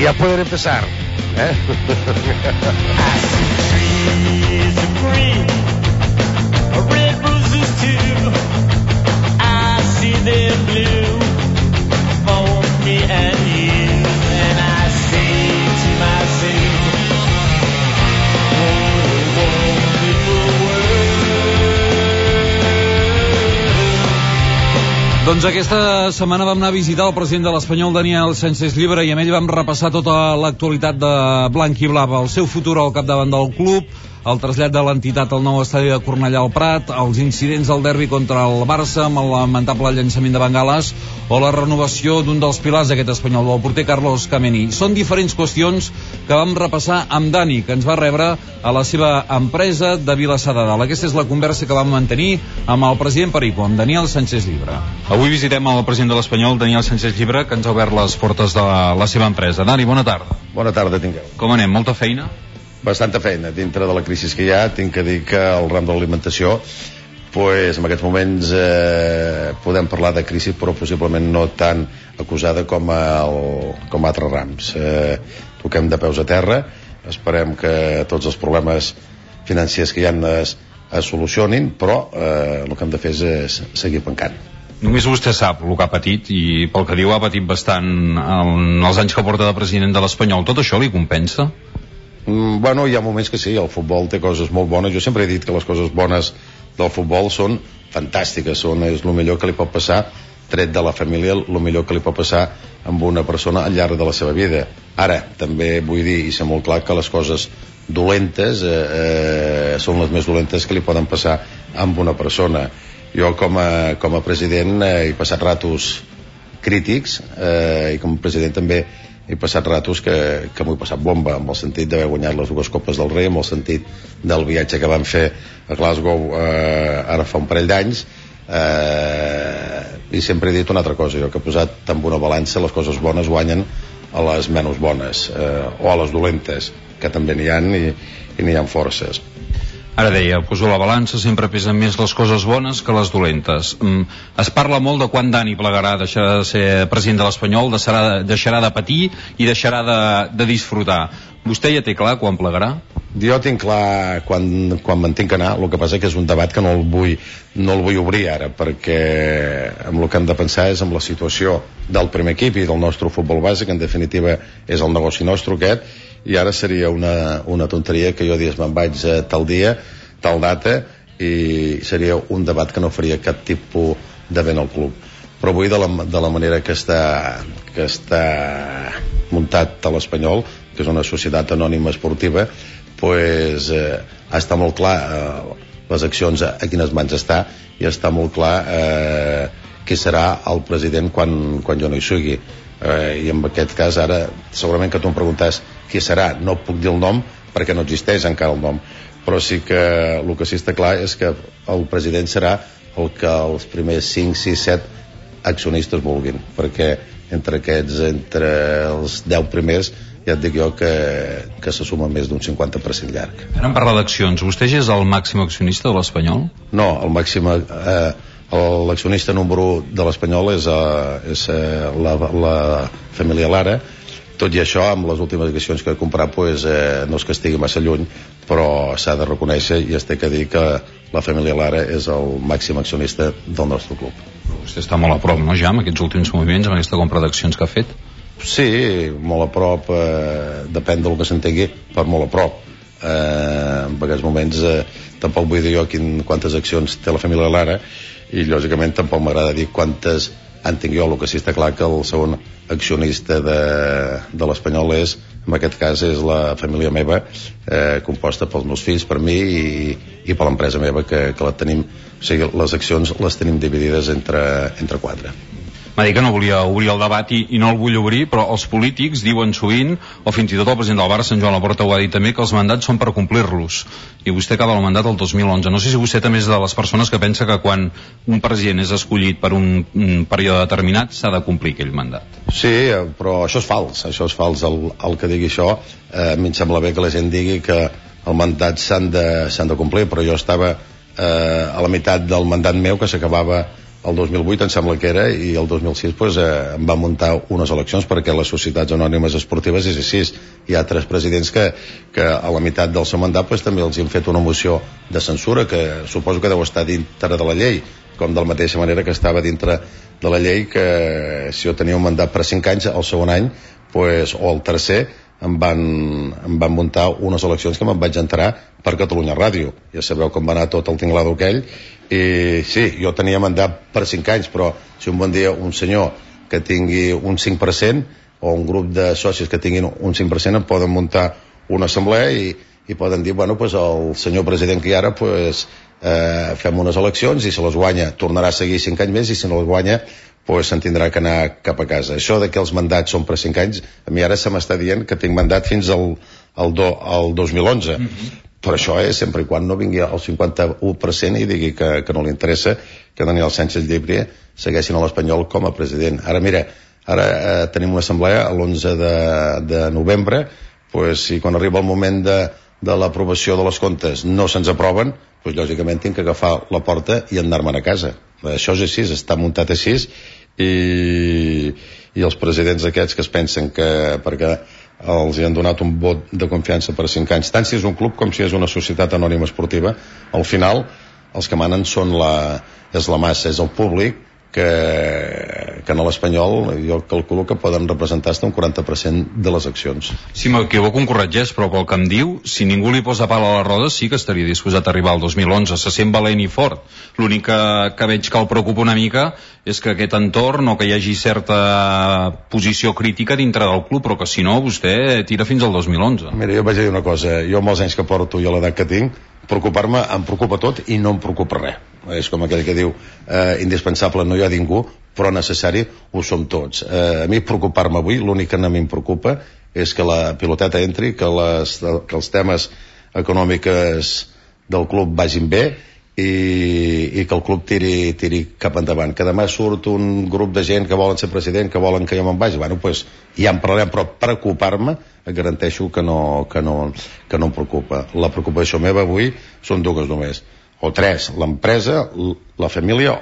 ya pueden empezar. I see trees of green, red roses too. I see them blue for me and you. And I say to myself, oh, wonderful world. Doncs aquesta setmana vam anar a visitar el president de l'Espanyol, Daniel Sánchez Llibre, i amb ell vam repassar tota l'actualitat de Blanc i Blava, el seu futur al capdavant del club, el trasllat de l'entitat al nou estadi de Cornellà al Prat, els incidents del derbi contra el Barça amb el lamentable llançament de bengales o la renovació d'un dels pilars d'aquest Espanyol, el porter Carlos Kameni. Són diferents qüestions que vam repassar amb Dani, que ens va rebre a la seva empresa de Vilassar de Dalt. Aquesta és la conversa que vam mantenir amb el president Perico, amb Daniel Sánchez Llibre. Avui visitem el president de l'Espanyol, Daniel Sánchez Llibre, que ens ha obert les portes de la seva empresa. Dani, bona tarda. Bona tarda, tingueu. Com anem? Molta feina? Bastanta feina. Dintre de la crisi que hi ha, tinc que dir que el ram de l'alimentació, pues, en aquests moments podem parlar de crisi, però possiblement no tan acusada com altres rams. Toquem de peus a terra, esperem que tots els problemes financers que hi ha es solucionin, però el que hem de fer és seguir pencant. Només vostè sap el que ha patit, i pel que diu ha patit bastant en els anys que porta de president de l'Espanyol. Tot això li compensa? Bueno, hi ha moments que sí, el futbol té coses molt bones. Jo sempre he dit que les coses bones del futbol són fantàstiques, és el millor que li pot passar, tret de la família, el millor que li pot passar amb una persona al llarg de la seva vida. Ara, també vull dir i ser molt clar que les coses dolentes són les més dolentes que li poden passar amb una persona. Jo com a president he passat ratos crítics i com a president també he passat ratos que m'ho he passat bomba, amb el sentit d'haver guanyat les 2 Copes del Rei, amb el sentit del viatge que vam fer a Glasgow ara fa un parell d'anys, i sempre he dit una altra cosa, jo que he posat en una balança les coses bones guanyen a les menys bones, o a les dolentes, que també n'hi ha i n'hi ha forces. Ara deia, poso la balança, sempre pesen més les coses bones que les dolentes. Es parla molt de quan Dani plegarà, deixarà de ser president de l'Espanyol, deixarà de patir i deixarà de disfrutar. Vostè ja té clar quan plegarà? Jo tinc clar quan me'n tinc que anar, el que passa que és un debat que no el vull obrir ara, perquè amb el que hem de pensar és amb la situació del primer equip i del nostre futbol base, que en definitiva és el negoci nostre aquest, i ara seria una tonteria que jo digués me'n vaig tal dia, tal data, i seria un debat que no faria cap tipus de vent al club. Però avui de la manera que està muntat a l'Espanyol, que és una societat anònima esportiva, pues, està molt clar les accions a quines mans està, i està molt clar qui serà el president quan jo no hi sigui. I en aquest cas ara segurament que tu em preguntes qui serà, no puc dir el nom perquè no existeix encara el nom, però sí que el que sí està clar és que el president serà el que els primers 5, 6, 7 accionistes vulguin, perquè entre els 10 primers ja et dic jo que se suma més d'un 50% llarg. Ara em parla d'accions, vostè ja és el màxim accionista de l'Espanyol? No, el màxim l'accionista número 1 de l'Espanyol és la família Lara. Tot i això, amb les últimes accions que he comprat, pues, no és que estigui massa lluny, però s'ha de reconèixer i es té que dir que la família Lara és el màxim accionista del nostre club. Vostè està molt a prop, no, ja, amb aquests últims moviments, amb aquesta compra d'accions que ha fet? Sí, molt a prop, depèn del que s'entengui, per molt a prop. En aquests moments tampoc vull dir jo quantes accions té la família Lara, i lògicament tampoc m'agrada dir quantes en tinc jo. El que sí està clar que el segon accionista de l'Espanyol en aquest cas és la família meva, composta pels meus fills, per mi i per l'empresa meva que la tenim, o sigui, les accions les tenim dividides entre 4. M'ha dit que no volia obrir el debat i no el vull obrir, però els polítics diuen sovint, o fins i tot el president del Barça, en Joan Laporta, ho ha dit també, que els mandats són per complir-los, i vostè acaba el mandat el 2011. No sé si vostè també és de les persones que pensa que quan un president és escollit per un període determinat s'ha de complir aquell mandat. Sí, però això és fals, el que digui això. A mi em sembla bé que la gent digui que el mandat s'han de complir, però jo estava a la meitat del mandat meu, que s'acabava el 2008 em sembla que era, i el 2006 pues, em van muntar unes eleccions, perquè les societats anònimes esportives és així. Hi ha 3 presidents que a la meitat del seu mandat pues, també els han fet una moció de censura, que suposo que deu estar dintre de la llei, com de la mateixa manera que estava dintre de la llei que si jo tenia un mandat per 5 anys, el segon any pues, o el tercer em van muntar unes eleccions que me'n vaig entrar per Catalunya Ràdio. Ja sabeu com va anar tot el tinglado aquell. I sí, jo tenia mandat per 5 anys, però si un bon dia un senyor que tingui un 5% o un grup de socis que tinguin un 5% em poden muntar una assemblea i poden dir, bueno, pues el senyor president que hi ara pues, fem unes eleccions i si les guanya tornarà a seguir 5 anys més, i si no les guanya pues se'n tindrà que anar cap a casa. Això de que els mandats són per 5 anys, a mi ara se m'està dient que tinc mandat fins al 2011. Però això és sempre i quan no vingui el 51% i digui que no li interessa que Daniel Sánchez Llibre segueixin a l'Espanyol com a president. Ara mira, ara tenim una assemblea l'11 de novembre, pues, si quan arriba el moment de l'aprovació de les comptes no se'ns aproven, pues, lògicament tinc que agafar la porta i anar-me'n a casa. Això és així, està muntat així, i els presidents aquests que es pensen que perquè els hi han donat un vot de confiança per 5 anys, tant si és un club com si és una societat anònima esportiva, al final els que manen és la massa, és el públic, que en l'Espanyol jo calculo que poden representar fins un 40% de les accions. Si m'equivoco em corregeix, però pel que em diu, si ningú li posa pal a la roda sí que estaria disposat a arribar al 2011, se sent valent i fort. L'únic que veig que el preocupa una mica és que aquest entorn o que hi hagi certa posició crítica dintre del club, però que si no vostè tira fins al 2011. Mira, jo vaig dir una cosa, jo amb els anys que porto i a l'edat que tinc, preocupar-me em preocupa tot i no em preocupa res. És com aquell que diu indispensable no hi ha ningú, però necessari ho som tots. A mi preocupar-me avui, l'únic que a mi em preocupa és que la piloteta entri, que els temes econòmics del club vagin bé i que el club tiri cap endavant. Que demà surt un grup de gent que volen ser president, que volen que jo me'n vagi, bueno, pues ja en parlarem, però preocupar-me et garanteixo que no em preocupa. La preocupació meva avui són 2 només, o 3, l'empresa, la família,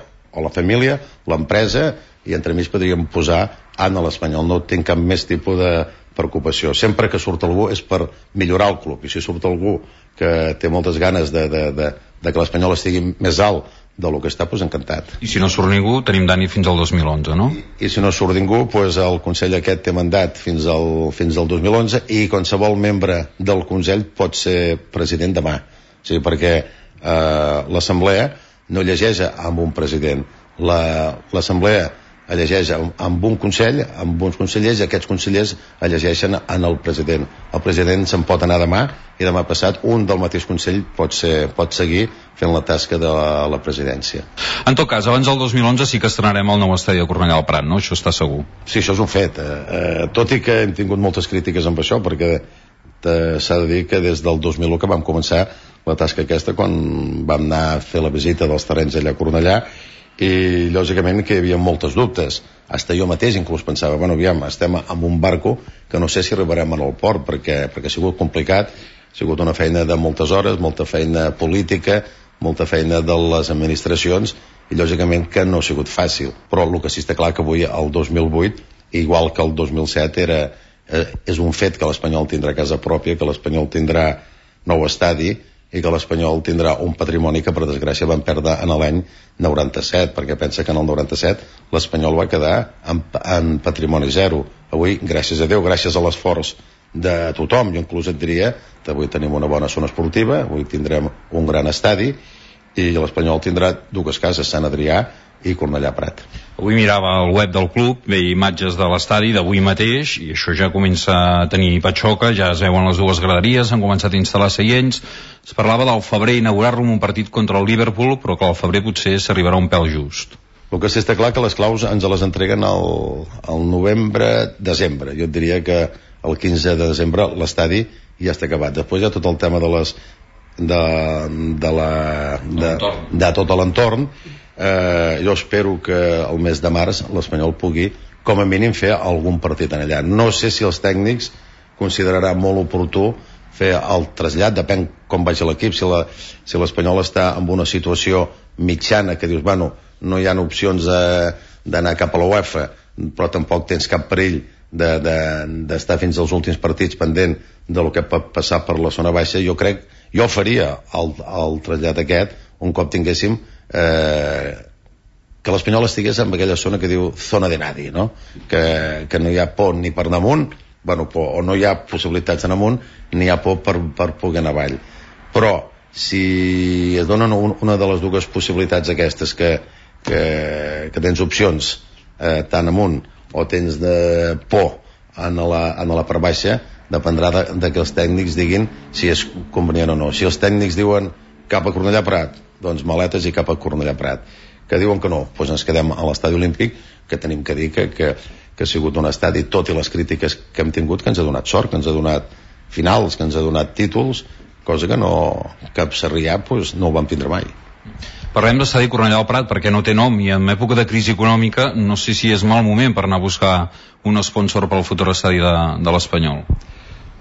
l'empresa, i entremig podríem posar Anna l'Espanyol. No tinc cap més tipus de preocupació. Sempre que surt algú és per millorar el club, i si surt algú que té moltes ganes de que l'Espanyol estigui més alt del que està, doncs encantat. I si no surt ningú, tenim Dani fins al 2011, no? I si no surt ningú, doncs el Consell aquest té mandat fins al 2011 i qualsevol membre del Consell pot ser president demà. O sigui, perquè l'Assemblea no llegeix amb un president. L'Assemblea llegeix amb un Consell, amb uns consellers, i aquests consellers llegeixen en el president. El president se'n pot anar demà, i demà passat un del mateix Consell pot seguir fent la tasca de la presidència. En tot cas, abans del 2011 sí que estrenarem el nou estadi de Cornellà al Prat, no? Això està segur. Sí, això és un fet. Tot i que hem tingut moltes crítiques amb això, perquè s'ha de dir que des del 2001 que vam començar la tasca aquesta, quan vam anar a fer la visita dels terrenys allà a Cornellà, i lògicament que hi havia moltes dubtes. Hasta jo mateix inclús pensava, bueno, aviam, estem amb un barco que no sé si arribarem al port, perquè ha sigut complicat, ha sigut una feina de moltes hores, molta feina política, molta feina de les administracions, i lògicament que no ha sigut fàcil. Però el que sí està clar que avui, el 2008, igual que el 2007, és un fet que l'Espanyol tindrà casa pròpia, que l'Espanyol tindrà nou estadi, i que l'Espanyol tindrà un patrimoni que per desgràcia van perdre en l'any 97, perquè pensa que en el 97 l'Espanyol va quedar en patrimoni zero. Avui, gràcies a Déu, gràcies a l'esforç de tothom, jo inclús et diria que avui tenim una bona zona esportiva, avui tindrem un gran estadi, i l'Espanyol tindrà 2 cases, Sant Adrià i Cornellà Prat. Avui mirava el web del club, veia imatges de l'estadi d'avui mateix, i això ja comença a tenir patxoca, ja es veuen les 2 graderies, han començat a instal·lar seients. Es parlava del febrer inaugurar-lo en un partit contra el Liverpool, però que al febrer potser s'arribarà un pèl just. El que sí està clar que les claus ens les entreguen al novembre-desembre. Jo et diria que el 15 de desembre l'estadi ja està acabat. Després hi ha tot el tema de tot l'entorn. Jo espero que el mes de març l'Espanyol pugui com a mínim fer algun partit en allà. No sé si els tècnics considerarà molt oportú fer el trasllat, depèn com vagi l'equip. Si l'Espanyol està en una situació mitjana que dius, bueno, no hi ha opcions d'anar cap a la UEFA, però tampoc tens cap perill d'estar fins als últims partits pendent de lo que pot passar per la zona baixa. Jo faria el trasllat aquest un cop tinguéssim que l'Espanyol estigués en aquella zona que diu zona de nadie, no? Que no hi ha por ni per damunt, o no hi ha possibilitats en amunt, ni hi ha por per poder anar avall. Però si es donen una de les dues possibilitats aquestes, que tens opcions tant amunt o tens de por en la part baixa, dependrà de que els tècnics diguin si és convenient o no. Si els tècnics diuen cap a Cornellà Prat, doncs maletes i cap a Cornellà Prat. Que diuen que no, doncs ens quedem a l'estadi olímpic, que tenim que dir que ha sigut un estadi, tot i les crítiques que hem tingut, que ens ha donat sort, que ens ha donat finals, que ens ha donat títols, cosa que cap Sarrià no ho vam tindre mai. Parlem d'estadi Cornellà del Prat perquè no té nom, i en època de crisi econòmica no sé si és mal moment per anar a buscar un sponsor pel futur estadi de l'Espanyol.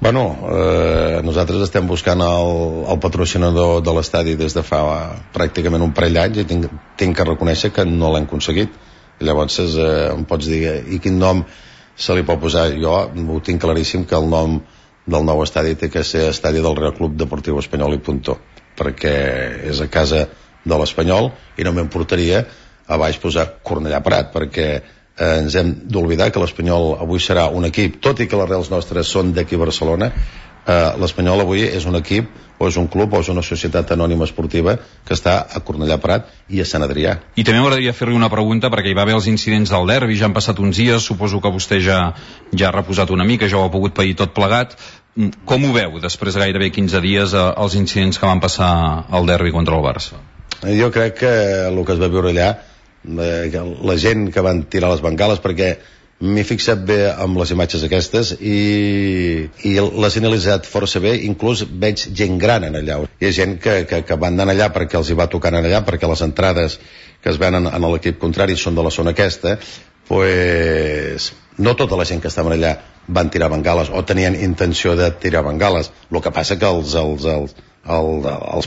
Nosaltres estem buscant el patrocinador de l'estadi des de fa pràcticament un parell d'anys, i tinc que reconèixer que no l'hem aconseguit. Llavors em pots dir, i quin nom se li pot posar? Jo ho tinc claríssim, que el nom del nou estadi té que ser Estadi del Real Club Deportiu Espanyol i puntó, perquè és a casa de l'Espanyol, i no m'importaria a baix posar Cornellà Prat, perquè ens hem d'oblidar que l'Espanyol avui serà un equip, tot i que les arrels nostres són d'aquí a Barcelona. L'Espanyol avui és un equip, o és un club, o és una societat anònima esportiva que està a Cornellà Prat i a Sant Adrià. I també m'agradaria fer-li una pregunta, perquè hi va haver els incidents del derbi, ja han passat uns dies, suposo que vostè ja ha reposat una mica, ja ho ha pogut pair tot plegat. Com ho veu, després de gairebé 15 dies, els incidents que van passar al derbi contra el Barça? Jo crec que el que es va viure allà, la gent que van tirar les bengales, perquè m'he fixat bé amb les imatges aquestes i les he analitzat força bé, inclús veig gent gran en allà. Hi ha gent que van anar allà perquè els hi va tocar anar allà, perquè les entrades que es venen en l'equip contrari són de la zona aquesta. Pues no tota la gent que estaven allà van tirar bengales o tenien intenció de tirar bengales. El que passa que els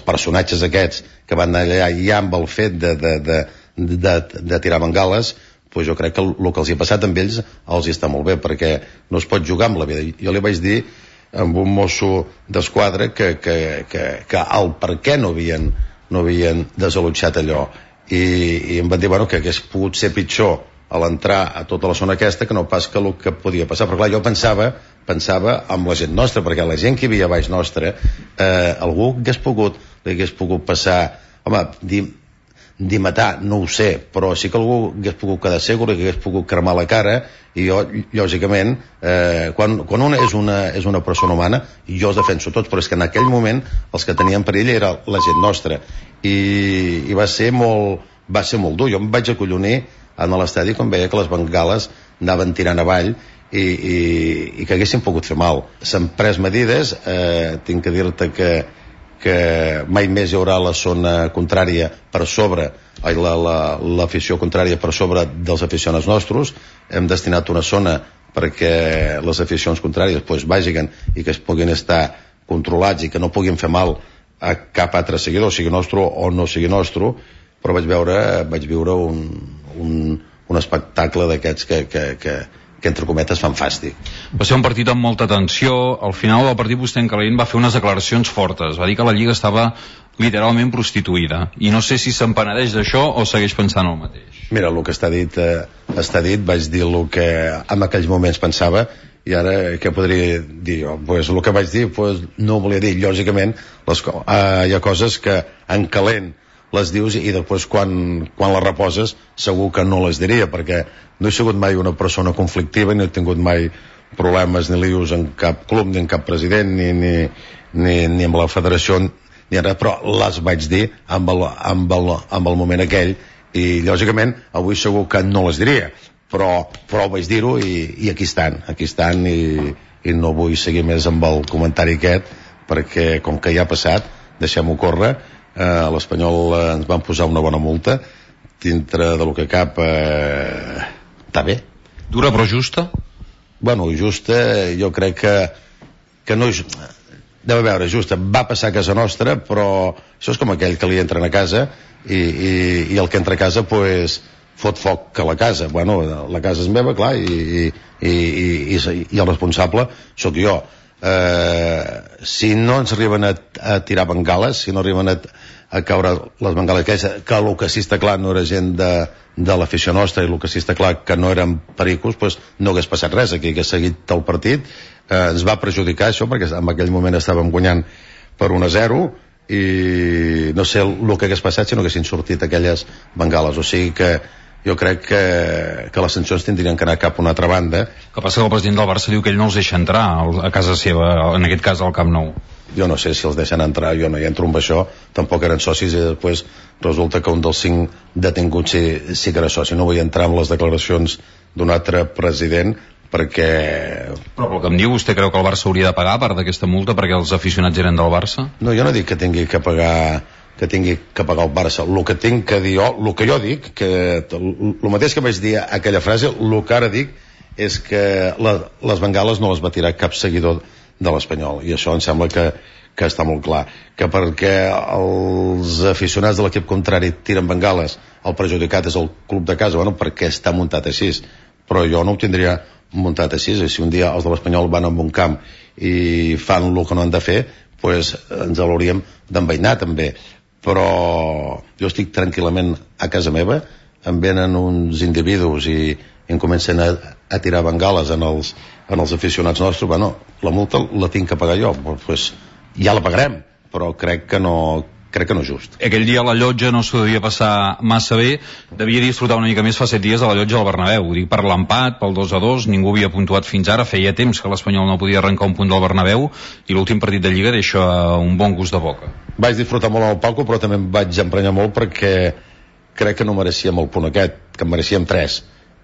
personatges aquests que van anar allà ja amb el fet de tirar bengales, pues jo crec que el que els hi ha passat amb ells els hi està molt bé, perquè no es pot jugar amb la vida. Jo li vaig dir amb un mosso d'esquadra que el per què no havien desallotjat allò, i em van dir que hagués pogut ser pitjor a l'entrar a tota la zona aquesta que no pas que el que podia passar. Però clar, jo pensava amb la gent nostra, perquè la gent que hi havia baix nostra, algú li hagués pogut passar, dir matar, no ho sé, però sí que algú hagués pogut quedar segur, que hagués pogut cremar la cara. I jo, lògicament, quan una és una persona humana, jo els defenso tots, però és que en aquell moment els que tenien perill era la gent nostra, i va ser molt dur. Jo em vaig acollonir a l'estadi quan veia que les bengales anaven tirant avall i que haguessin pogut fer mal. S'han pres medides, tinc que dir-te que mai més hi haurà la zona contrària per sobre, l'afició contrària per sobre dels aficionats nostres. Hem destinat una zona perquè les aficions contràries vagin i que es puguin estar controlats i que no puguin fer mal a cap altre seguidor, sigui nostre o no sigui nostre. Però vaig viure un espectacle d'aquests que entre cometes fan fàstic. Va ser un partit amb molta tensió. Al final del partit vostè en Calent va fer unes declaracions fortes, va dir que la Lliga estava literalment prostituïda, i no sé si se'n penedeix d'això o segueix pensant el mateix. Mira, el que està dit, vaig dir el que en aquells moments pensava, i ara què podria dir jo? El que vaig dir no ho volia dir. Lògicament hi ha coses que en calent les dius i després quan les reposes segur que no les diria, perquè no he sigut mai una persona conflictiva, ni he tingut mai problemes ni lius en cap club, ni en cap president, ni amb la federació, ni ara, però les vaig dir amb el moment aquell, i lògicament avui segur que no les diria, però vaig dir-ho i aquí estan i no vull seguir més amb el comentari aquest, perquè com que ja ha passat, deixem-ho córrer. A l'Espanyol ens van posar una bona multa, dintre del que cap està bé. Dura però justa? Justa, jo crec que no és... Deu veure, justa, va passar a casa nostra, però això és com aquell que li entren a casa i el que entra a casa pues fot foc a la casa. Bueno, la casa és meva, clar, i el responsable sóc jo. Si no ens arriben a tirar bengales, si no arriben a caure les bengales, que el que sí està clar no era gent de l'afició nostra, i el que sí està clar que no eren pericos, pues no hagués passat res, aquí hagués seguit el partit. Ens va perjudicar això perquè en aquell moment estàvem guanyant per 1-0 i no sé el que hagués passat si no haguessin sortit aquelles bengales. O sigui que jo crec que les sancions tindrien que anar cap a una altra banda. El que passa que el president del Barça diu que ell no els deixa entrar a casa seva, en aquest cas al Camp Nou. Jo no sé si els deixen entrar, jo no hi entro amb això, tampoc eren socis i després resulta que un dels 5 detinguts sí que era soci. No vull entrar en les declaracions d'un altre president perquè... Però pel que em diu, vostè creu que el Barça hauria de pagar part d'aquesta multa perquè els aficionats eren del Barça? No, jo no dic que tingui que pagar el Barça. El que tinc que dir jo, el que jo dic, que el mateix que vaig dir aquella frase, el que ara dic és que les bengales no les va tirar cap seguidor de l'Espanyol, i això em sembla que està molt clar, que perquè els aficionats de l'equip contrari tiren bengales, el perjudicat és el club de casa, bueno, perquè està muntat així, però jo no ho tindria muntat així. I si un dia els de l'Espanyol van a un camp i fan el que no han de fer, pues ens l'hauríem d'enveinar també. Però jo estic tranquil·lament a casa meva, em venen uns individus i em comencen a tirar bengales en els aficionats nostres. Bueno, la multa la tinc que pagar jo, pues ja la pagarem, però crec que no és just. Aquell dia a la llotja no s'ho devia passar massa bé, devia disfrutar una mica més fa 7 dies a la llotja del Bernabéu. Ho dic per l'empat, pel 2-2, ningú havia puntuat fins ara, feia temps que l'Espanyol no podia arrencar un punt del Bernabéu i l'últim partit de Lliga deixa un bon gust de boca. Vaig disfrutar molt amb el Paco, però també em vaig emprenyar molt perquè crec que no merecíem el punt aquest, que en merecíem 3.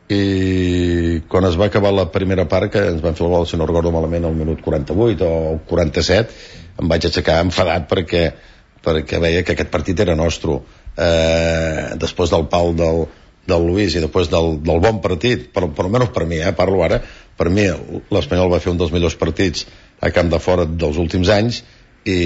I quan es va acabar la primera part, que ens van fer el gol, si no recordo malament, al minut 48 o 47, em vaig aixecar enfadat perquè veia que aquest partit era nostre. Després del pal del Luis i després del bon partit, per almenys per mi, parlo ara, per mi l'Espanyol va fer un dels millors partits a camp de fora dels últims anys i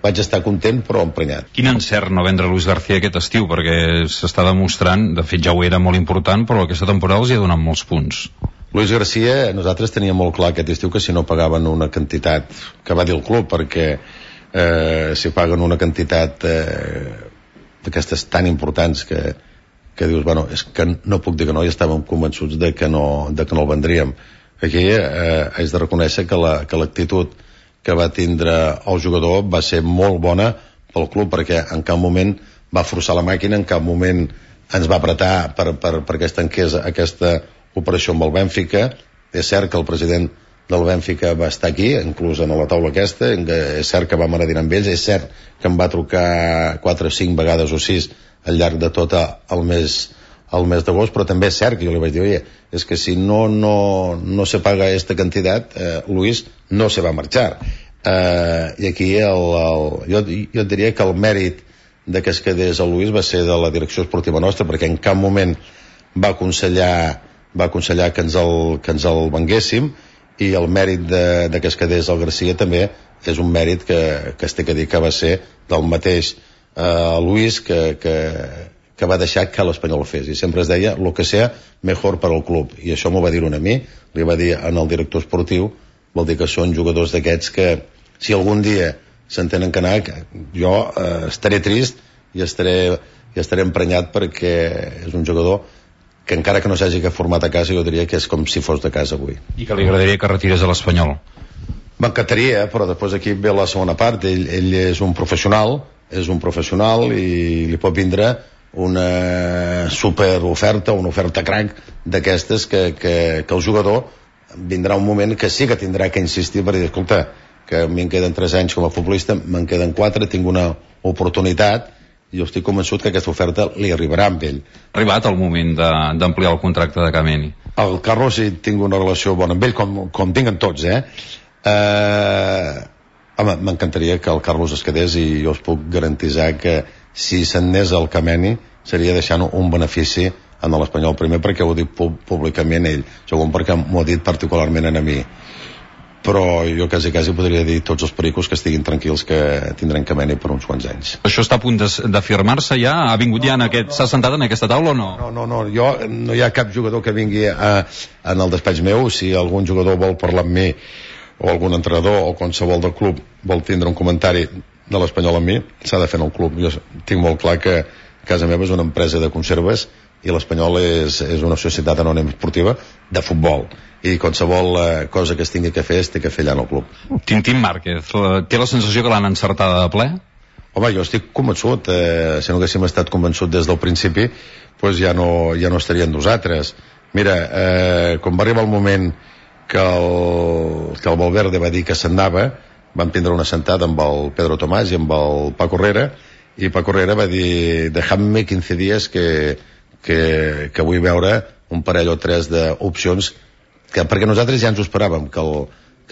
vaig estar content però emprenyat. Quin encert no vendre Luis García aquest estiu, perquè s'està demostrant, de fet ja ho era molt important, però aquesta temporada els hi ha donat molts punts. Luis García, nosaltres teníem molt clar aquest estiu que si no pagaven una quantitat, que va dir el club, perquè si paguen una quantitat d'aquestes tan importants que dius, bueno, és que no puc dir que no, i estàvem convençuts de que no el vendríem. Aquí haig de reconèixer que l'actitud que va tindre el jugador va ser molt bona pel club, perquè en cap moment va forçar la màquina, en cap moment ens va apretar perquè es tanqués aquesta operació amb el Bènfica. És cert que el president del Bènfica va estar aquí, inclús en la taula aquesta, és cert que vam anar a dinar amb ells, és cert que em va trucar 4 o 5 vegades o 6 al llarg de tot el mes d'agost, però també és cert que jo li vaig dir, oye, és que si no se paga esta cantidad, Luis no se va a marxar. I aquí jo diria que el mèrit de que es quedés el Luis va ser de la direcció esportiva nostra, perquè en cap moment va aconsellar que ens el venguéssim, i el mèrit de que es quedés el García també és un mèrit que es té que dir que va ser del mateix Luis que va deixar que l'Espanyol ho fes, i sempre es deia lo que sea mejor per al club, i això m'ho va dir a mi, li va dir en el director esportiu. Vol dir que són jugadors d'aquests que si algun dia s'entenen que anar, jo estaré trist i estaré emprenyat, perquè és un jugador que encara que no s'hagi format a casa, jo diria que és com si fos de casa avui. I que li agradaria que retirés a l'Espanyol? M'encantaria, però després aquí ve la segona part. Ell és un professional i li pot vindre una superoferta, una oferta crac d'aquestes que el jugador vindrà un moment que sí que tindrà que insistir per dir, escolta, que a mi em queden 3 anys com a futbolista, me'n queden 4, tinc una oportunitat, i jo estic convençut que aquesta oferta li arribarà amb ell. Ha arribat el moment d'ampliar el contracte de Kameni? El Carlos hi tinc una relació bona amb ell, com tinc amb tots, home, m'encantaria que el Carlos es quedés, i jo us puc garantitzar que si se'n anés el Kameni seria deixant un benefici en l'Espanyol, primer perquè ho dic públicament ell, segon perquè m'ho ha dit particularment a mi, però jo quasi podria dir tots els pericos que estiguin tranquils, que tindran cameni per uns quants anys. Això està a punt de firmar-se ja? Ha vingut ja s'ha sentat en aquesta taula o no? No, no hi ha cap jugador que vingui en el despatx meu. Si algun jugador vol parlar amb mi, o algun entrenador o qualsevol del club vol tindre un comentari de l'Espanyol amb mi, s'ha de fer en el club. Jo tinc molt clar que casa meva és una empresa de conserves i l'Espanyol és una societat anònima esportiva de futbol, i qualsevol cosa que es tingui que fer es té que fer allà en el club. Tintín Márquez, té la sensació que l'han encertada de ple? Home, jo estic convençut, si no haguéssim estat convençut des del principi, doncs ja no estaria amb nosaltres. Mira, quan va arribar el moment que el Valverde va dir que s'anava, vam prendre una sentada amb el Pedro Tomàs i amb el Paco Herrera, i Paco Herrera va dir: dejadme 15 dies que vull veure un parell o tres d'opcions, perquè nosaltres ja ens ho esperàvem, que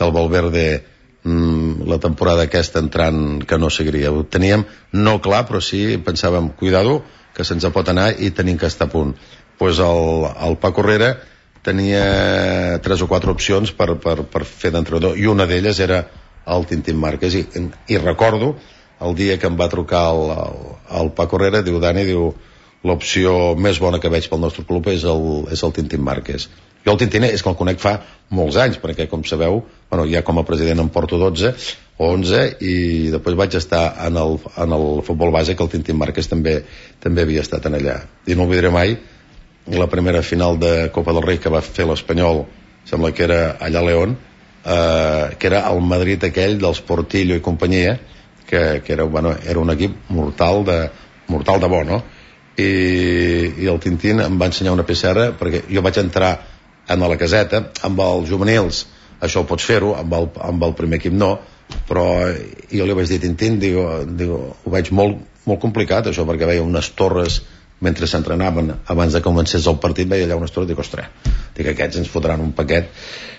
el Valverde la temporada aquesta entrant que no seguiria. Ho teníem no clar, però sí pensàvem, cuidado, que se'ns pot anar i tenim que estar a punt. Pues el Paco Herrera tenia 3 o 4 opcions per fer d'entrenador, i una d'elles era el Tintín Márquez, i recordo el dia que em va trucar el Paco Herrera, diu: Dani, l'opció més bona que veig pel nostre club és el Tintín Márquez. Jo el Tintín és que el conec fa molts anys, perquè, com sabeu, ja com a president em porto 12 o 11, i després vaig estar en el futbol base, que el Tintín Márquez també havia estat en allà. I no oblidaré mai la primera final de Copa del Rei que va fer l'Espanyol, sembla que era allà a León, que era el Madrid aquell dels Portillo i companyia, que era un equip mortal de bo, no? I el Tintín em va ensenyar una pissarra, perquè jo vaig entrar a la caseta amb els juvenils, això ho pots fer-ho, amb el primer equip no, però jo li vaig dir: Tintín, ho veig molt complicat això, perquè veia unes torres mentre s'entrenaven abans de que comencés el partit, veia allà unes torres, dic: ostres, aquests ens fotran un paquet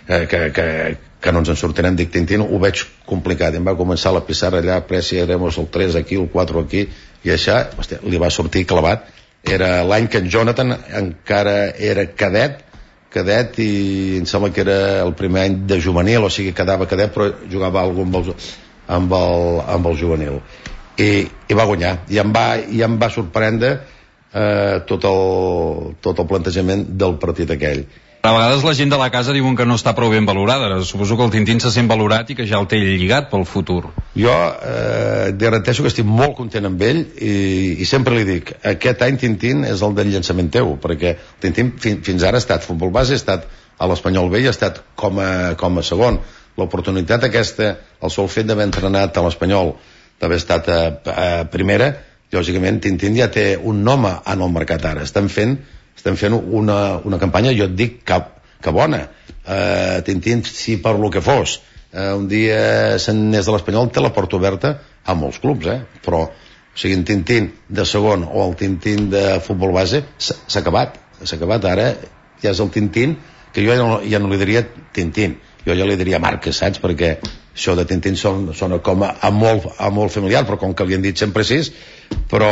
que no ens en sortirem. Dic: Tintín, ho veig complicat. I em va començar la pissarra allà: Presi, haremos el 3 aquí, el 4 aquí, i això, hòstia, li va sortir clavat. Era l'any que en Jonathan encara era cadet, i em sembla que era el primer any de juvenil, o sigui, quedava cadet però jugava alguna cosa amb el juvenil, i va guanyar, i em va sorprendre tot el plantejament del partit aquell. A vegades la gent de la casa diuen que no està prou ben valorada. Suposo que el Tintín se sent valorat i que ja el té lligat pel futur. Jo garanteixo que estic molt content amb ell, i sempre li dic: aquest any, Tintín, és el del llançament teu, perquè Tintín fins ara ha estat futbol base, ha estat a l'Espanyol B i ha estat com a segon. L'oportunitat aquesta, el sol fet d'haver entrenat a l'Espanyol, d'haver estat a primera, lògicament Tintín ja té un nom en el mercat ara. Estem fent una campanya, jo et dic, que bona. Tintín, si per lo que fos un dia se'n anés de l'Espanyol, té la porta oberta a molts clubs, però o sigui, en Tintín de segon o el Tintín de futbol base s'ha acabat. Ara ja és el Tintín, que jo ja no li diria Tintín, jo ja li diria Márquez, saps? Perquè això de Tintín sona com a molt familiar, però com que li han dit sempre així, però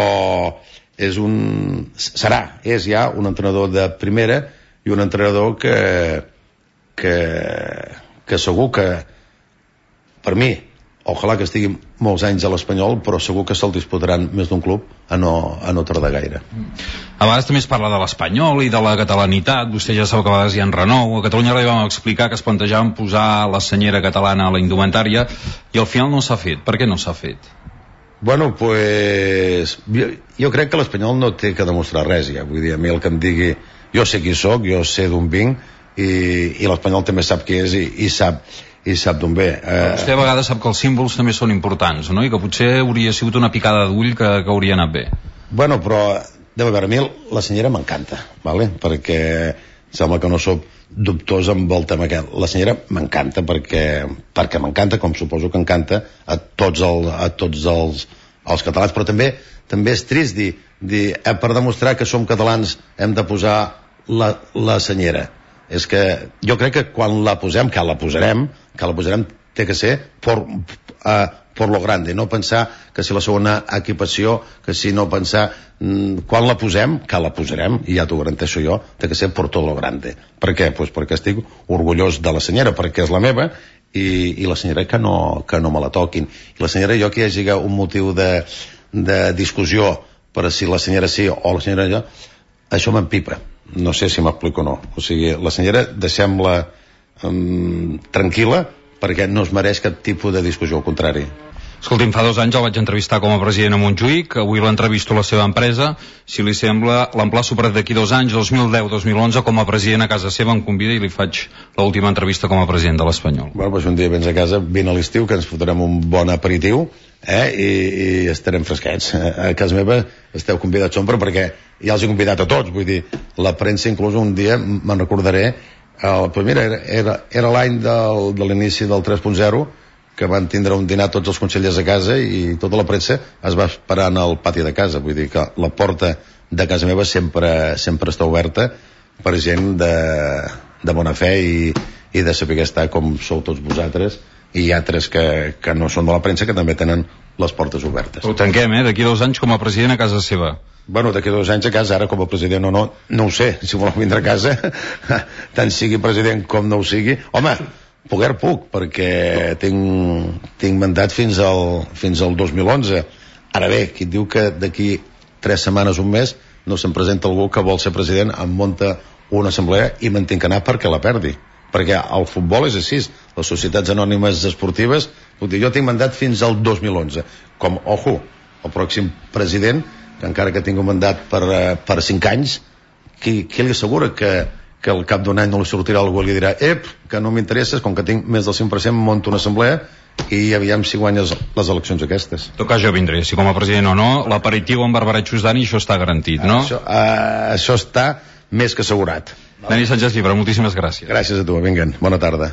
és ja un entrenador de primera, i un entrenador que segur que, per mi, ojalà que estigui molts anys a l'Espanyol, però segur que se'l disputaran més d'un club a no tardar gaire. A vegades també es parla de l'Espanyol i de la catalanitat. Vostè ja sap que a vegades hi ha renou. A Catalunya li vam explicar que es plantejaven posar la senyera catalana a la indumentària, i al final no s'ha fet. Per què no s'ha fet? Bueno, pues jo crec que l'Espanyol no té que demostrar res ja. Vull dir, a mi el que em digui, jo sé qui sóc, jo sé d'on vinc, i l'Espanyol també sap qui és i sap d'on ve. Vostè a vegades sap que els símbols també són importants, no? I que potser hauria sigut una picada d'ull que hauria anat bé. Bueno, però a veure, a mi la senyera m'encanta, ¿vale? Perquè sembla que no soc dubtós amb el tema aquest. La senyera m'encanta perquè m'encanta, com suposo que encanta a tots els catalans, però també és trist dir per demostrar que som catalans hem de posar la senyera. És que jo crec que quan la posem, que la posarem, té que ser por lo grande, no pensar que si la segona equipació, que si no pensar quan la posem, que la posarem, i ja t'ho garanteixo jo, té que ser por todo lo grande. Per què? Pues perquè estic orgullós de la senyera, perquè és la meva, i la senyora que no me la toquin. I la senyora, jo que hi hagi un motiu de discussió per si la senyora sí o la senyora no, això m'empipa. No sé si m'explico o no. O sigui, la senyora deixem-la tranquil·la, perquè no es mereix cap tipus de discussió, al contrari. Escolti'm, fa 2 anys el vaig entrevistar com a president a Montjuïc, avui l'entrevisto a la seva empresa. Si li sembla, l'emplaço per d'aquí 2 anys, 2010-2011, com a president a casa seva, em convida i li faig l'última entrevista com a president de l'Espanyol. Bueno, doncs un dia vens a casa, vine a l'estiu, que ens fotrem un bon aperitiu, i estarem fresquets. A casa meva esteu convidats sempre, perquè ja els he convidat a tots, vull dir, la premsa inclús un dia me'n recordaré, pues mira, era l'any de l'inici del 3.0, que van tindre un dinar tots els consellers a casa i tota la premsa es va esperant al pati de casa. Vull dir que la porta de casa meva sempre està oberta per gent de bona fe i de saber estar com sou tots vosaltres, i hi ha altres que no són de la premsa que també tenen les portes obertes. Ho tanquem, d'aquí 2 anys com a president a casa seva. Bueno, d'aquí 2 anys a casa, ara com a president o no ho sé, si voleu vindre a casa tant sigui president com no ho sigui, home, poder puc, perquè tinc mandat fins al 2011. Ara bé, qui diu que d'aquí 3 setmanes, un mes, no se'n presenta algú que vol ser president, em munta una assemblea i me'n tinc que anar perquè la perdi. Perquè el futbol és així, les societats anònimes esportives, jo tinc mandat fins al 2011. Com, ojo, el pròxim president, que encara que tingui un mandat per 5 anys, qui li assegura que al cap d'un any no li sortirà algú i li dirà que no m'interesses, com que tinc més del 100%, monto una assemblea i aviam si guanyes les eleccions aquestes. En tot cas jo vindré, si com a president o no, l'aperitiu amb barbaratxos d'Ani, això està garantit, no? Això està més que assegurat. Dani Sánchez Llibre, moltíssimes gràcies. Gràcies a tu, vinguen, bona tarda.